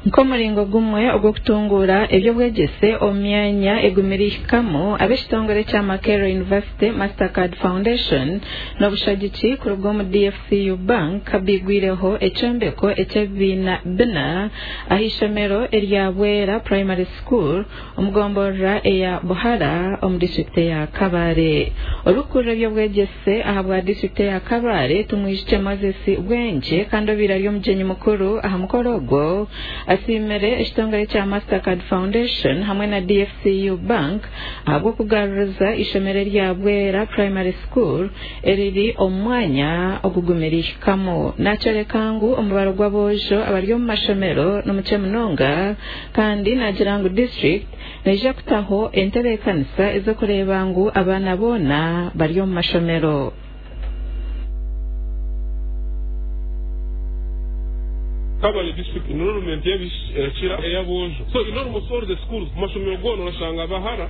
Nk'omuringo gumwe ogw'okutunguura eby'obwegyese omu myanya egumire ihikamu, ab'ekitongore kya Makerere University Mastercard Foundation n'obushagiki kuruga omu DFCU Bank baigwireho ekyombeko eky'ebibiina bina ah'eishomero erya Bwera Primary School omu gomborora eya Buhara omu disiturikiti eya Kabale. Orikukurira eby'obwegyese ahabwa disiturikiti eya Kabale, Tumwijukye Moses Bwengye kandi obaire ari omugyenyi mukuru aha mukoro ogwo, asiimire ekitongore kya Mastercard Foundation hamwe na DFCU Bank ahabw'okugaruriza eishomero erya Bwera Primary School eriri omu mwanya ogugumire ihikamu. Nakyoreka ngu omubaro gw'aboojo abari omu mashomero nimukye munonga kandi nagira ngu disiturikiti neija kutaho entebeekanisa ez'okureeba ngu abaana boona bari omu mashomero. Kabale district enrollment y'abaishiki erakira ey'aboojo. So in almost all the schools, mu mashomero goona orashanga abahara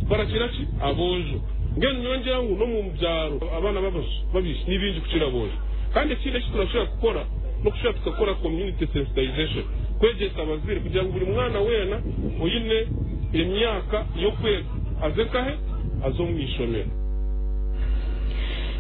barakira ki? Aboojo. Mbwenu nyowe ngira ngu n'omu byaro abaana b'abaishiki ni baingi kukira aboojo. Kandi ekindi eki turashobora kukora n'okushobora tukakora community sensitization, kwegyesa abazaire kugira ngu buri mwana weena oine emyaka y'okwega aze nkahe? Aze omu ishomero.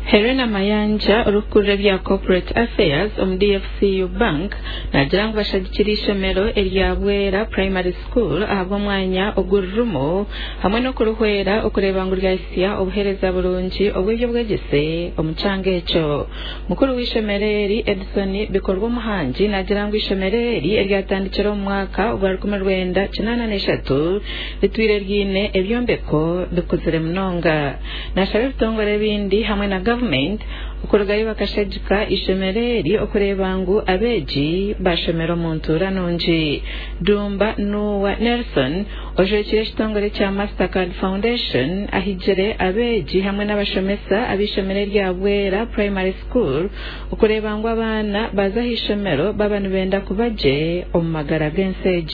Helena Mayanja orikukurira ebya Corporate Affairs omu DFCU Bank naagira ngu bashagikire eishomero erya Bwera Primary School ahabw'omwanya ogu ririmu hamwe n'okurihwera okureeba ngu ryahitsya obuheereza burungi obw'eby'obwegyese omu kyanga ekyo. Mukuru w'eishomero eri, Edson Bikorwa Omuhangi naagira ngu eishomero eri eryatandikire omu mwaka ogwa 1983 ritwire riine ebyombeko bikuzire munonga. Naashaba ebitongore ebindi hamwe na gavumenti okurugayo bakashagika eishomero eri okureeba ngu abeegi baashomera omu ntuura nungi. Dumba Nuwa Nelson ojwekire ekitongore kya Mastercard Foundation ahigire abeegi hamwe n'abashomesa ab'eishomero erya Bwera Primary School okureeba ngu abaana baaza ah'eishomero baaba nibenda kuba gye omu magara g'ensi egi.